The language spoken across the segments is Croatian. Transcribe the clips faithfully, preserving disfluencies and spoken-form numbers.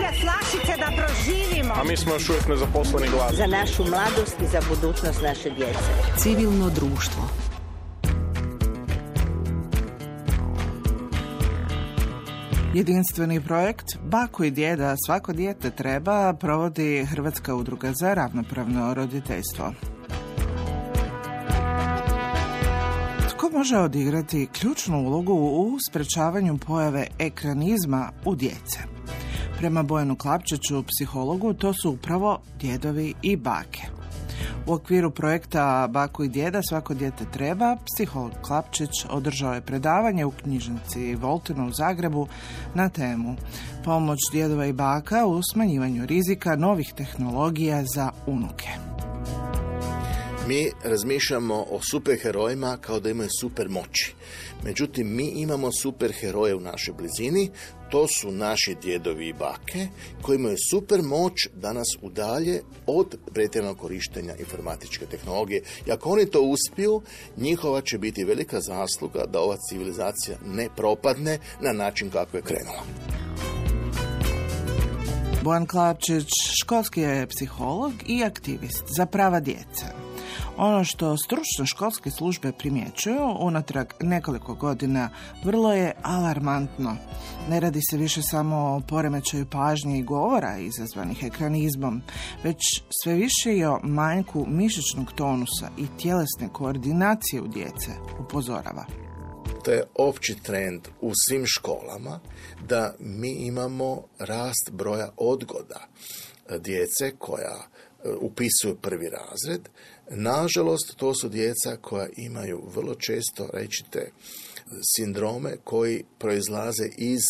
skuplja flašice da proživimo. A mi smo još uvijek nezaposleni glas. Za našu mladost i za budućnost naše djece. Civilno društvo. Jedinstveni projekt Bako i djeda svako dijete treba provodi Hrvatska udruga za ravnopravno roditeljstvo. Tko može odigrati ključnu ulogu u sprečavanju pojave ekranizma u djece? Prema Bojanu Klapčiću, psihologu, to su upravo djedovi i bake. U okviru projekta Bako i djeda svako dijete treba, psiholog Klapčić održao je predavanje u knjižnici Voltino u Zagrebu na temu pomoć djedova i baka u smanjivanju rizika novih tehnologija za unuke. Mi razmišljamo o superherojima kao da imaju super moći. Međutim, mi imamo superheroje u našoj blizini, to su naši djedovi i bake koji imaju super moć da nas udalje od pretjeranog korištenja informatičke tehnologije. I ako oni to uspiju, njihova će biti velika zasluga da ova civilizacija ne propadne na način kako je krenula. Bojan Klapčić školski je psiholog i aktivist za prava djece. Ono što stručne školske službe primjećuju unatrag nekoliko godina vrlo je alarmantno. Ne radi se više samo o poremećaju pažnje i govora izazvanih ekranizmom, već sve više i o manjku mišićnog tonusa i tjelesne koordinacije u djece, upozorava. To je opći trend u svim školama da mi imamo rast broja odgoda djece koja upisuju prvi razred. Nažalost, to su djeca koja imaju vrlo često rečite sindrome koji proizlaze iz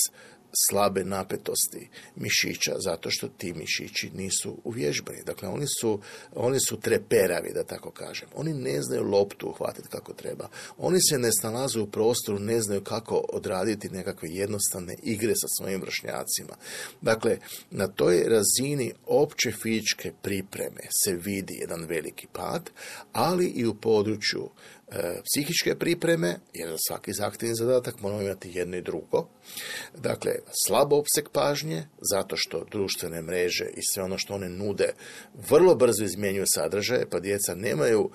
slabe napetosti mišića, zato što ti mišići nisu uvježbani. Dakle, oni su, oni su treperavi, da tako kažem. Oni ne znaju loptu uhvatiti kako treba. Oni se ne snalaze u prostoru, ne znaju kako odraditi nekakve jednostavne igre sa svojim vršnjacima. Dakle, na toj razini opće fizičke pripreme se vidi jedan veliki pad, ali i u području e, psihičke pripreme, jer za svaki zahtjevni zadatak moramo imati jedno i drugo. Dakle, slab opseg pažnje, zato što društvene mreže i sve ono što one nude vrlo brzo izmjenjuju sadržaje, pa djeca nemaju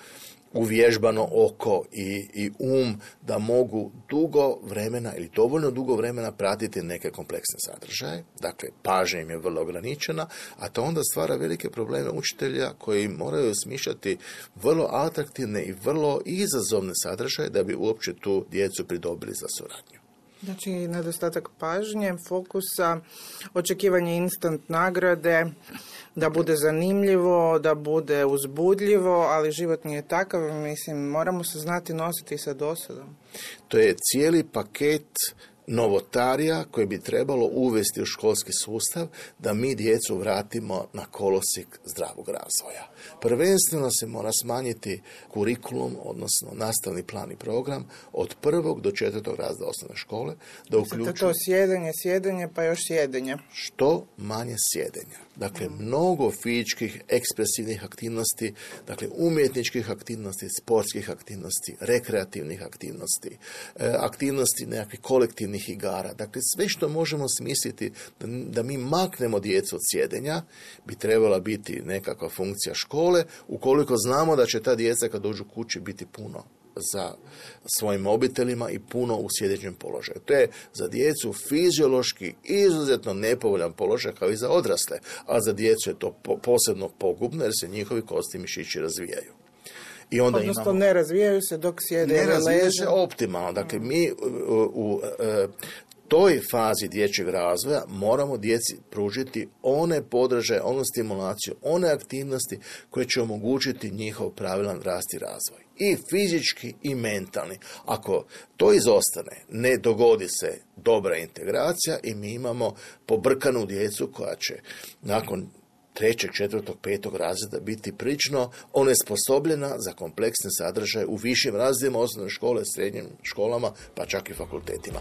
uvježbano oko i, i um da mogu dugo vremena ili dovoljno dugo vremena pratiti neke kompleksne sadržaje. Dakle, pažnja im je vrlo ograničena, a to onda stvara velike probleme učitelja koji moraju smišljati vrlo atraktivne i vrlo izazovne sadržaje da bi uopće tu djecu pridobili za suradnju. Znači, nedostatak pažnje, fokusa, očekivanje instant nagrade, da bude zanimljivo, da bude uzbudljivo, ali život nije takav, mislim, moramo se znati nositi sa dosadom. To je cijeli paket novotarija koje bi trebalo uvesti u školski sustav da mi djecu vratimo na kolosijek zdravog razvoja. Prvenstveno se mora smanjiti kurikulum, odnosno nastavni plan i program od prvog do četvrtog razreda osnovne škole. Da uključuje to sjedenje, sjedenje pa još sjedenje. Što manje sjedenja. Dakle, mm. mnogo fizičkih, ekspresivnih aktivnosti, dakle, umjetničkih aktivnosti, sportskih aktivnosti, rekreativnih aktivnosti, aktivnosti nekakvih kolektivnih igara. Dakle, sve što možemo smisliti da, da mi maknemo djecu od sjedenja bi trebala biti nekakva funkcija škole, ukoliko znamo da će ta djeca kad dođu kući biti puno za svojim mobitelima i puno u sjedećem položaju. To je za djecu fiziološki izuzetno nepovoljan položaj kao i za odrasle, a za djecu je to po, posebno pogubno jer se njihovi kosti mišići razvijaju. I onda Odnosno imamo, ne razvijaju se dok sjede. Ne razvijaju se optimalno. Dakle, mi u, u, u toj fazi dječjeg razvoja moramo djeci pružiti one podržaje, onu stimulaciju, one aktivnosti koje će omogućiti njihov pravilan rast i razvoj. I fizički i mentalni. Ako to izostane, ne dogodi se dobra integracija i mi imamo pobrkanu djecu koja će nakon trećeg, četvrtog, petog razreda biti prilično onesposobljena za kompleksne sadržaje u višim razredima osnovne škole, srednjim školama, pa čak i fakultetima.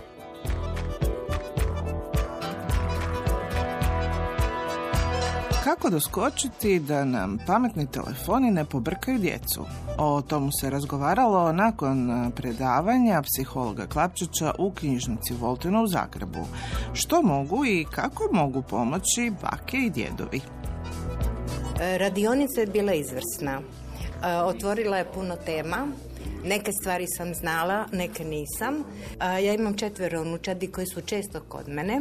Kako doskočiti da nam pametni telefoni ne pobrkaju djecu? O tomu se razgovaralo nakon predavanja psihologa Klapčića u knjižnici Voltena u Zagrebu. Što mogu i kako mogu pomoći bake i djedovi? Radionica je bila izvrsna. Otvorila je puno tema. Neke stvari sam znala, neke nisam. Ja imam četvero unučadi koji su često kod mene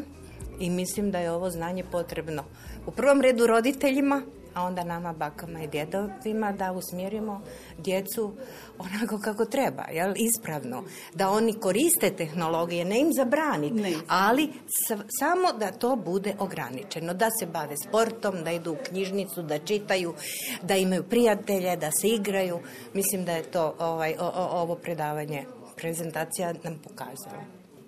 i mislim da je ovo znanje potrebno u prvom redu roditeljima, a onda nama bakama i djedovima da usmjerimo djecu onako kako treba, jel? Ispravno. Da oni koriste tehnologije, ne im zabraniti, ne. ali s- samo da to bude ograničeno. Da se bave sportom, da idu u knjižnicu, da čitaju, da imaju prijatelje, da se igraju. Mislim da je to ovaj, o, o, ovo predavanje, prezentacija nam pokazala.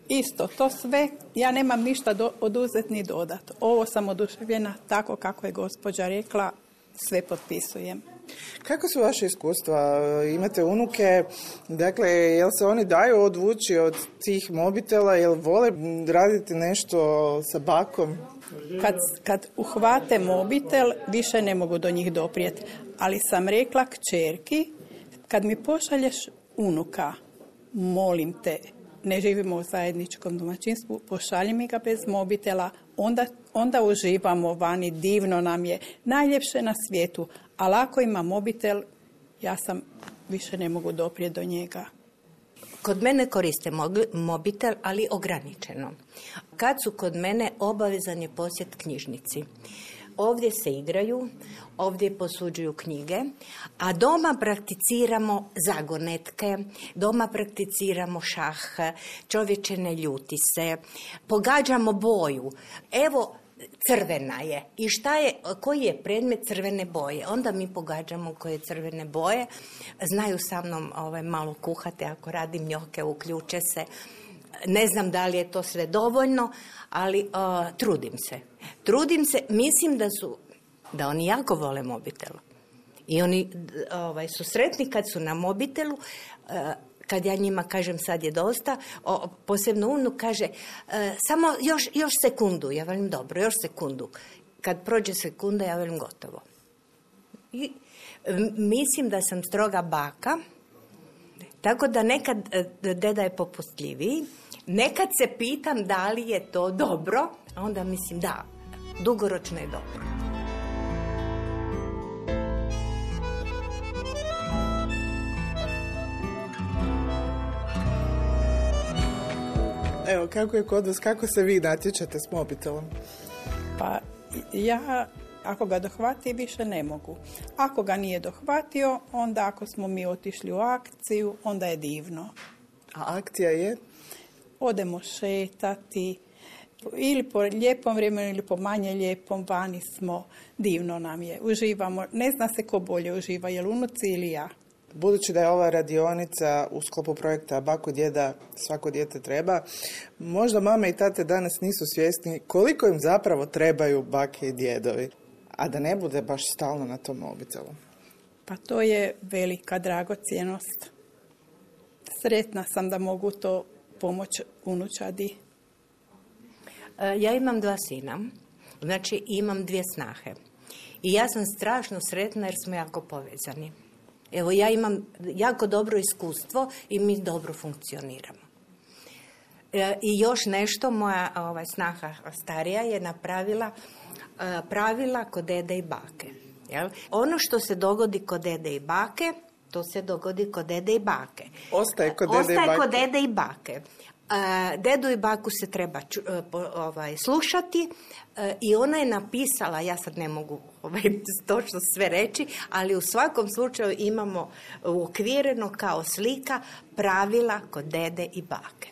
Isto, to sve, ja nemam ništa do, oduzeti ni dodati. Ovo sam oduševljena tako kako je gospođa rekla, sve potpisujem. Kako su vaše iskustva? Imate unuke, dakle, jel se oni daju odvući od tih mobitela, jel vole raditi nešto sa bakom? Kad, kad uhvate mobitel, više ne mogu do njih doprijeti. Ali sam rekla kćerki, kad mi pošalješ unuka, molim te, ne živimo u zajedničkom domaćinstvu, pošalji mi ga bez mobitela, onda, onda uživamo vani, divno nam je, najljepše na svijetu, ali ako ima mobitel, ja sam više ne mogu doprijeti do njega. Kod mene koriste mobitel, ali ograničeno. Kad su kod mene, obavezan je posjet knjižnici. Ovdje se igraju, ovdje posuđuju knjige, a doma prakticiramo zagonetke, doma prakticiramo šah, čovječe ne ljuti se, pogađamo boju. Evo, crvena je. I šta je, koji je predmet crvene boje? Onda mi pogađamo koje crvene boje. Znaju sa mnom ovaj, malo kuhati, ako radim njoke, uključe se. Ne znam da li je to sve dovoljno, ali uh, trudim se. Trudim se, mislim da su, da oni jako vole mobitel. I oni ovaj, su sretni kad su na mobitelu, uh, kad ja njima kažem sad je dosta, o, posebno unuk kaže uh, samo još, još sekundu. Ja velim dobro, još sekundu. Kad prođe sekunda, ja velim gotovo. I m- mislim da sam stroga baka, tako da nekad deda je popustljiviji. Nekad se pitam da li je to dobro, a onda mislim da, dugoročno je dobro. Evo, kako je kod vas, kako se vi natječete s mobitelom? Pa ja, ako ga dohvati, više ne mogu. Ako ga nije dohvatio, onda ako smo mi otišli u akciju, onda je divno. A akcija je? Odemo šetati, ili po lijepom vremenu, ili po manje lijepom, vani smo, divno nam je, uživamo. Ne zna se ko bolje uživa, je li unuci ili ja. Budući da je ova radionica u sklopu projekta Bako djeda svako dijete treba, možda mame i tate danas nisu svjesni koliko im zapravo trebaju bake i djedovi, a da ne bude baš stalno na tom mobitelu. Pa to je velika dragocjenost. Sretna sam da mogu to pomoći unučadi. Ja imam dva sina, znači imam dvije snahe. I ja sam strašno sretna jer smo jako povezani. Evo, ja imam jako dobro iskustvo i mi dobro funkcioniramo. E, I još nešto, moja ovaj, snaha starija je napravila e, pravila kod dede i bake. Jel? Ono što se dogodi kod dede i bake, to se dogodi kod dede i bake. Ostaje kod dede i bake. Ostaje kod dede i bake. Uh, dedu i baku se treba ču, uh, po, ovaj, slušati uh, i ona je napisala, ja sad ne mogu ovaj, točno sve reći, ali u svakom slučaju imamo uokvireno kao slika pravila kod dede i bake.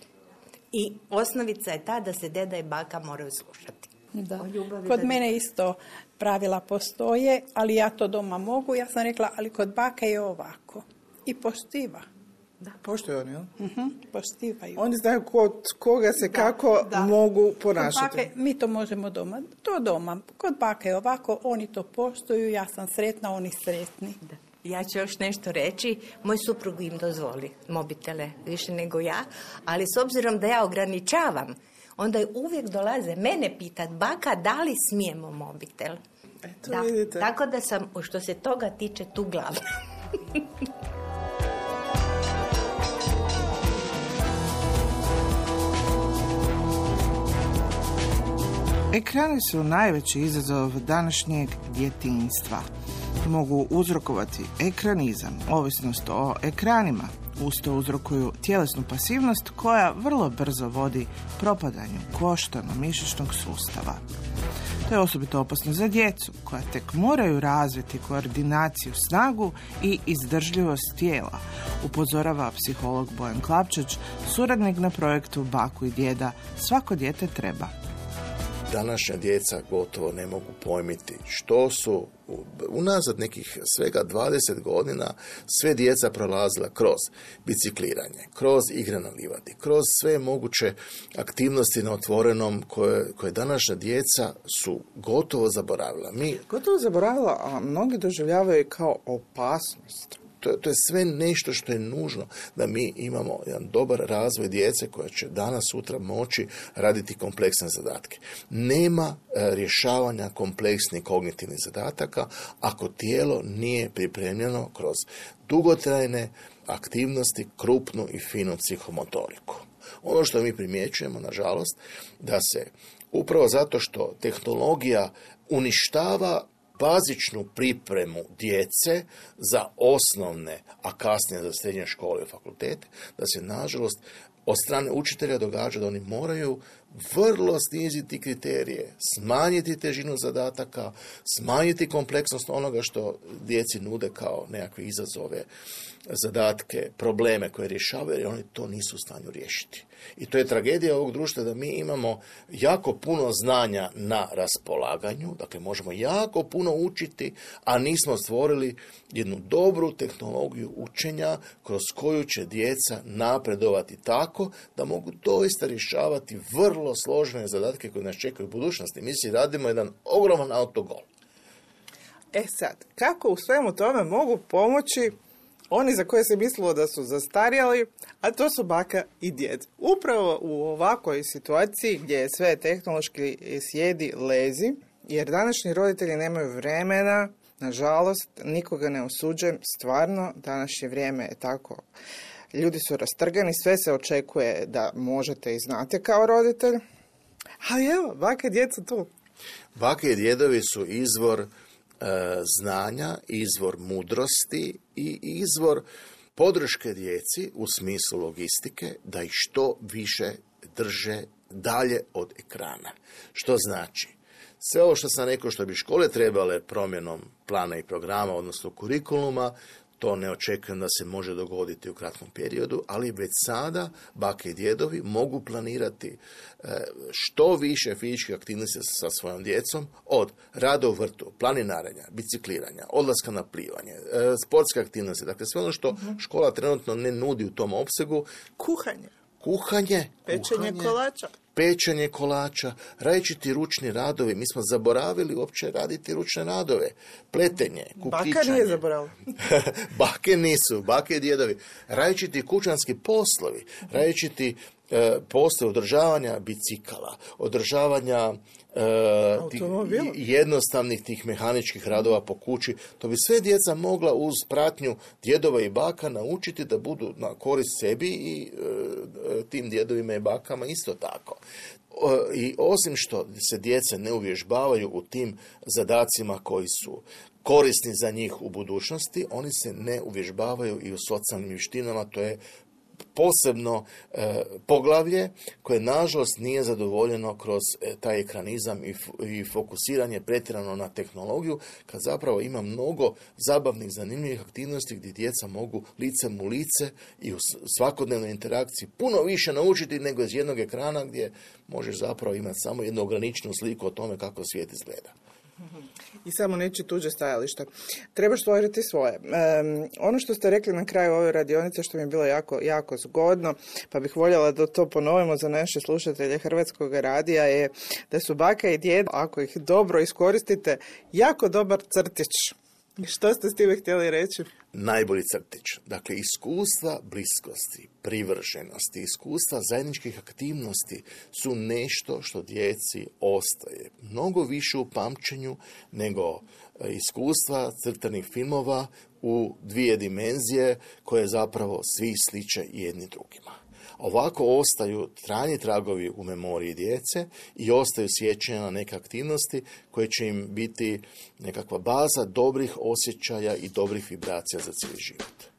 I osnovica je ta da se deda i baka moraju slušati. Da. Kod mene isto pravila postoje, ali ja to doma mogu. Ja sam rekla, ali kod bake je ovako. I poštiva. Da. Poštuju oni, jel? Uh-huh, poštivaju. Oni znaju kod koga se da, kako da. mogu ponašati. Bake, mi to možemo doma. To doma. Kod bake je ovako, oni to poštuju, ja sam sretna, oni sretni. Da. Ja ću još nešto reći. Moj suprug im dozvoli mobitele više nego ja, ali s obzirom da ja ograničavam, onda uvijek dolaze mene pitat, baka, da li smijemo mobitel? Eto, Da, vidite. tako da sam, što se toga tiče, tu glavna. Ekrani su najveći izazov današnjeg djetinjstva. Mogu uzrokovati ekranizam, ovisnost o ekranima. Uz to uzrokuju tjelesnu pasivnost koja vrlo brzo vodi propadanju koštano-mišićnog sustava. To je osobito opasno za djecu koja tek moraju razviti koordinaciju, snagu i izdržljivost tijela, upozorava psiholog Bojan Klapčić, suradnik na projektu Baku i djeda Svako dijete treba. Današnja djeca gotovo ne mogu pojmiti što su unazad nekih svega dvadeset godina sve djeca prolazila kroz bicikliranje, kroz igre na livadi, kroz sve moguće aktivnosti na otvorenom koje, koje današnja djeca su gotovo zaboravila. Mi Gotovo zaboravila, a mnogi doživljavaju kao opasnost. To, to je sve nešto što je nužno da mi imamo jedan dobar razvoj djece koja će danas, sutra moći raditi kompleksne zadatke. Nema e, rješavanja kompleksnih kognitivnih zadataka ako tijelo nije pripremljeno kroz dugotrajne aktivnosti, krupnu i finu psihomotoriku. Ono što mi primjećujemo, nažalost, da se upravo zato što tehnologija uništava bazičnu pripremu djece za osnovne, a kasnije za srednje škole i fakultete, da se, nažalost, od strane učitelja događa da oni moraju vrlo sniziti kriterije, smanjiti težinu zadataka, smanjiti kompleksnost onoga što djeci nude kao nekakve izazove, zadatke, probleme koje rješavaju, jer oni to nisu u stanju riješiti. I to je tragedija ovog društva da mi imamo jako puno znanja na raspolaganju, dakle možemo jako puno učiti, a nismo stvorili jednu dobru tehnologiju učenja kroz koju će djeca napredovati tako da mogu doista rješavati vrlo složene zadatke koje nas čekaju u budućnosti. Mi si radimo jedan ogroman autogol. E sad, kako u svemu tome mogu pomoći oni za koje se mislilo da su zastarjeli, a to su baka i djed. Upravo u ovakvoj situaciji gdje je sve tehnološki sjedi lezi, jer današnji roditelji nemaju vremena, nažalost, nikoga ne osuđujem, stvarno, današnje vrijeme je tako. Ljudi su rastrgani, sve se očekuje da možete i znate kao roditelj, ali evo, baka i djed su tu. Bake i djedovi su izvor znanja, izvor mudrosti i izvor podrške djeci u smislu logistike da ih što više drže dalje od ekrana. Što znači? Sve ovo što sam rekao što bi škole trebale promjenom plana i programa, odnosno kurikuluma, to ne očekujem da se može dogoditi u kratkom periodu, ali već sada bake i djedovi mogu planirati što više fizičkih aktivnosti sa svojom djecom, od rada u vrtu, planinarenja, bicikliranja, odlaska na plivanje, sportske aktivnosti, dakle sve ono što škola trenutno ne nudi u tom opsegu. Kuhanje. Kuhanje. Pečenje kuhanje, kolača. Pečenje kolača, različiti ručni radovi. Mi smo zaboravili uopće raditi ručne radove. Pletenje, kukičanje. Baka nije zaboravila. Bake nisu, bake i djedovi. Različiti kućanski poslovi, različiti e, poslovi održavanja bicikala, održavanja e, tih, jednostavnih tih mehaničkih radova po kući. To bi sve djeca mogla uz pratnju djedova i baka naučiti da budu na korist sebi i e, tim djedovima i bakama isto tako. I osim što se djeca ne uvježbavaju u tim zadacima koji su korisni za njih u budućnosti, oni se ne uvježbavaju i u socijalnim vještinama. To je posebno e, poglavlje koje nažalost nije zadovoljeno kroz e, taj ekranizam i, i fokusiranje pretjerano na tehnologiju, kad zapravo ima mnogo zabavnih, zanimljivih aktivnosti gdje djeca mogu licem u lice i u svakodnevnoj interakciji puno više naučiti nego iz jednog ekrana gdje možeš zapravo imati samo jednu ograničenu sliku o tome kako svijet izgleda. I samo neći tuđe stajalište. Trebaš stvoriti svoje. Um, ono što ste rekli na kraju ove radionice, što mi je bilo jako, jako zgodno, pa bih voljela da to ponovimo za naše slušatelje Hrvatskog radija, je da su baka i djed, ako ih dobro iskoristite, jako dobar crtić Što ste s time htjeli reći? Najbolji crtić. Dakle, iskustva bliskosti, privrženosti, iskustva zajedničkih aktivnosti su nešto što djeci ostaje. Mnogo više u pamćenju nego iskustva crtanih filmova u dvije dimenzije koje zapravo svi sliče jedni drugima. Ovako ostaju trajni tragovi u memoriji djece i ostaju sjećanja na neke aktivnosti koje će im biti nekakva baza dobrih osjećaja i dobrih vibracija za cijeli život.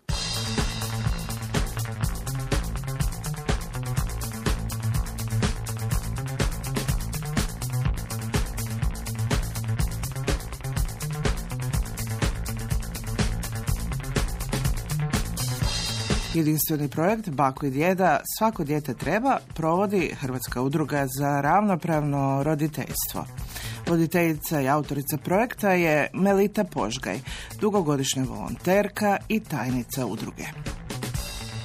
Jedinstveni projekt Bako i djeda Svako dijete treba provodi Hrvatska udruga za ravnopravno roditeljstvo. Voditeljica i autorica projekta je Melita Požgaj, dugogodišnja volonterka i tajnica udruge.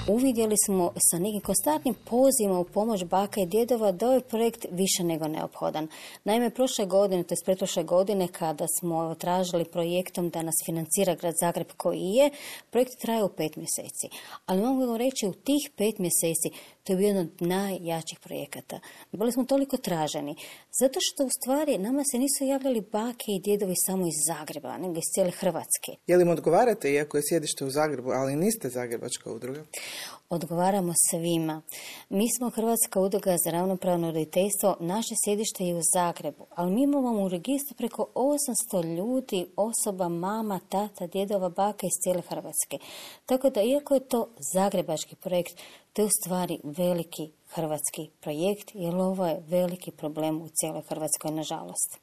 Uvidjeli smo sa nekim konstantnim pozivima u pomoć baka i djedova da je projekt više nego neophodan. Naime, prošle godine, to je pretprošle godine, kada smo tražili projektom da nas financira Grad Zagreb koji je, projekt trajao pet mjeseci. Ali mogu reći, u tih pet mjeseci to je bio jedan od najjačih projekata. Bili smo toliko traženi, zato što u stvari nama se nisu javljali bake i djedovi samo iz Zagreba, nego iz cijele Hrvatske. Je li im odgovarate, iako je sjedište u Zagrebu, ali niste zagrebačka udruga? Odgovaramo svima. Mi smo Hrvatska udruga za ravnopravno roditeljstvo, naše sjedište je u Zagrebu, ali mi imamo u registru preko osamsto ljudi, osoba, mama, tata, djedova, baka iz cijele Hrvatske. Tako da, iako je to zagrebački projekt, to je u stvari veliki hrvatski projekt, jer ovo je veliki problem u cijeloj Hrvatskoj, nažalost.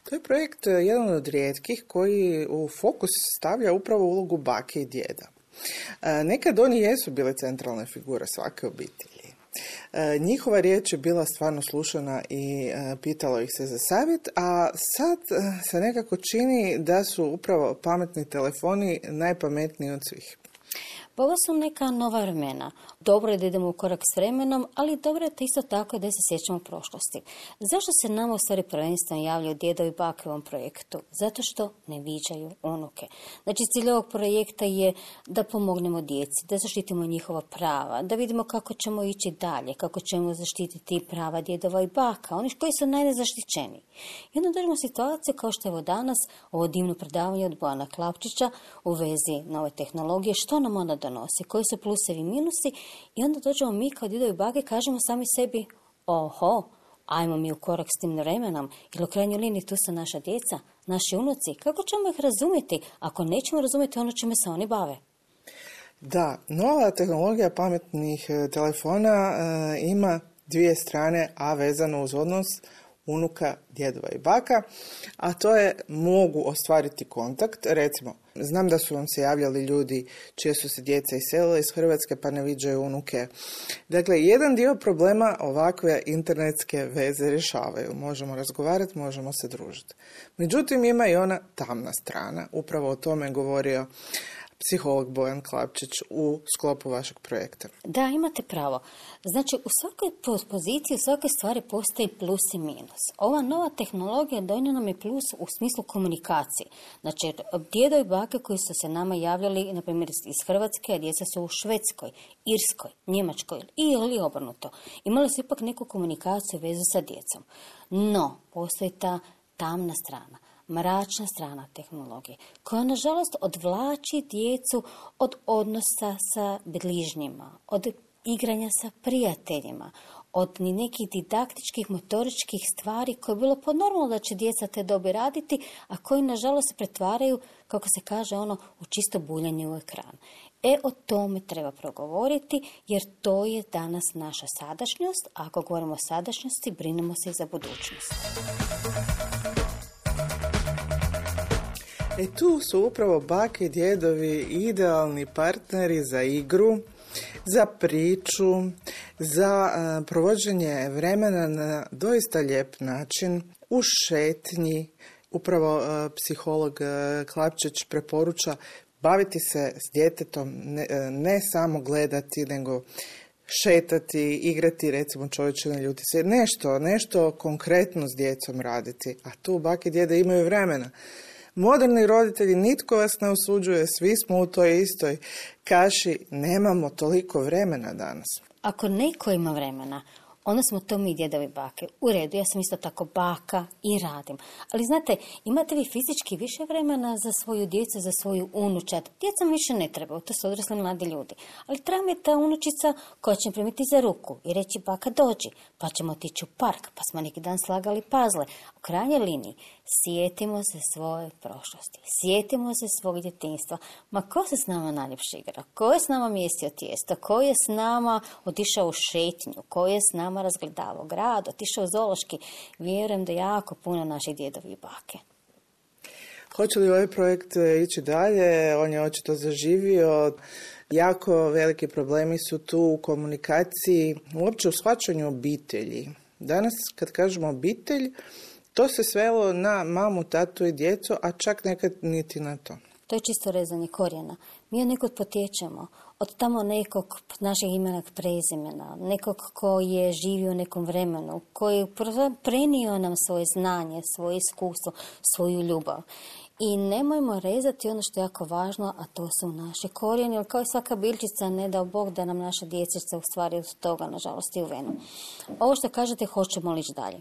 To je projekt jedan od rijetkih koji u fokus stavlja upravo ulogu bake i djeda. Nekad oni jesu bile centralne figure svake obitelji. Njihova riječ je bila stvarno slušana i pitalo ih se za savjet, a sad se nekako čini da su upravo pametni telefoni najpametniji od svih. Pa ovo su neka nova vremena. Dobro je da idemo u korak s vremenom, ali dobro je to isto tako da se sjećamo prošlosti. Zašto se nama u stvari prvenstveno javljaju djedovi i bake u ovom projektu? Zato što ne viđaju unuke. Znači, cilj ovog projekta je da pomognemo djeci, da zaštitimo njihova prava, da vidimo kako ćemo ići dalje, kako ćemo zaštititi prava djedova i baka, oni koji su najnezaštićeniji. I onda dođemo u situaciju kao što je ovo danas, ovo divno predavanje od Bojana Klapčića u vezi nove tehnologije, što nam onda donosi, koji su plusevi i minusi, i onda dođemo mi kao djedovi i bake, kažemo sami sebi, oho, ajmo mi u korak s tim vremenom, jer u krajnjoj liniji tu su naša djeca, naši unuci, kako ćemo ih razumjeti ako nećemo razumjeti ono čime se oni bave? Da, nova tehnologija pametnih telefona e, ima dvije strane, a vezano uz odnos unuka, djedova i baka, a to je mogu ostvariti kontakt. Recimo, znam da su vam se javljali ljudi čije su se djeca iselile iz Hrvatske pa ne viđaju unuke. Dakle, jedan dio problema ovakve internetske veze rješavaju. Možemo razgovarati, možemo se družiti. Međutim, ima i ona tamna strana. Upravo o tome je govorio psiholog Bojan Klapčić u sklopu vašeg projekta. Da, imate pravo. Znači, u svakoj poziciji, u svakoj stvari postoji plus i minus. Ova nova tehnologija donijela nam je plus u smislu komunikacije. Znači, djedovi i bake koji su se nama javljali, na primjer iz Hrvatske, a djeca su u Švedskoj, Irskoj, Njemačkoj ili obrnuto. Imali su ipak neku komunikaciju vezu sa djecom. No, postoji ta tamna strana, mračna strana tehnologije, koja nažalost odvlači djecu od odnosa sa bližnjima, od igranja sa prijateljima, od nekih didaktičkih, motoričkih stvari koje je bilo podnormalno da će djeca te dobi raditi, a koji nažalost se pretvaraju, kako se kaže ono, u čisto buljanje u ekran. E, o tome treba progovoriti, jer to je danas naša sadašnjost, a ako govorimo o sadašnjosti, brinemo se i za budućnost. E tu su upravo bake i djedovi idealni partneri za igru, za priču, za uh, provođenje vremena na doista lijep način, u šetnji. Upravo uh, psiholog uh, Klapčić preporuča baviti se s djetetom, ne, ne samo gledati, nego šetati, igrati, recimo čovječe ne ljuti se, nešto, nešto konkretno s djecom raditi. A tu bake i djede imaju vremena. Moderni roditelji, nitko vas ne osuđuje, svi smo u toj istoj kaši, nemamo toliko vremena danas. Ako neko ima vremena, onda smo to mi djedovi bake. U redu, ja sam isto tako baka i radim. Ali znate, imate vi fizički više vremena za svoju djecu, za svoju unučad. Djecom više ne treba, to su odrasli mladi ljudi. Ali treba mi ta unučica koja će primiti za ruku i reći baka dođi, pa ćemo otići u park, pa smo neki dan slagali pazle. U krajnjoj liniji, sjetimo se svoje prošlosti, sjetimo se svog djetinjstva. Ma ko se s nama najljepše igra? Ko je s nama mjestio tijesto? Ko je s nama otišao u šetnju? Ko je s nama razgledavao grad, otišao u zoološki? Vjerujem da jako puno naših djedovi i bake. Hoće li ovaj projekt ići dalje? On je očito zaživio. Jako veliki problemi su tu u komunikaciji, uopće u shvaćanju obitelji. Danas kad kažemo obitelj, to se svelo na mamu, tatu i djecu, a čak nekad niti na to. To je čisto rezanje korijena. Mi od nekog potječemo, od tamo nekog našeg imena prezimena, nekog koji je živio u nekom vremenu, koji je prenio nam svoje znanje, svoje iskustvo, svoju ljubav. I nemojmo rezati ono što je jako važno, a to su naši korijeni, jer kao i svaka biljčica, ne dao Bog da nam naša dječica u stvari od toga, nažalost, i u venu. Ovo što kažete, hoćemo li ići dalje?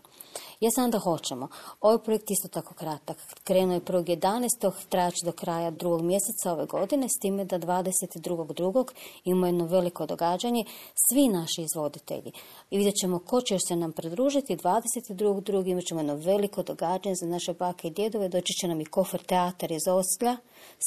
Ja sam da hoćemo. Ovaj projekt isto tako kratak. Krenuo je prvog jedanaestog trajaće do kraja drugog mjeseca ove godine, s time da dvadeset drugog drugog ima jedno veliko događanje. Svi naši izvoditelji. I vidjet ćemo ko će još se nam pridružiti. dvadeset drugog drugog imat ćemo jedno veliko događanje za naše bake i djedove. Doći će nam i Kofer teatar iz Osijeka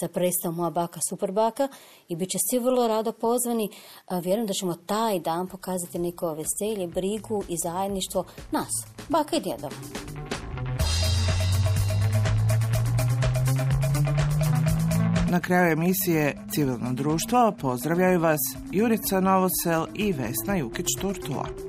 sa predstavom Moja baka, super baka, i bit će svi vrlo rado pozvani. Vjerujem da ćemo taj dan pokazati neko veselje, brigu i zajedništvo nas, baka i djedova. Na kraju emisije Civilno društvo pozdravljaju vas Jurica Novosel i Vesna Jukić-Turtula.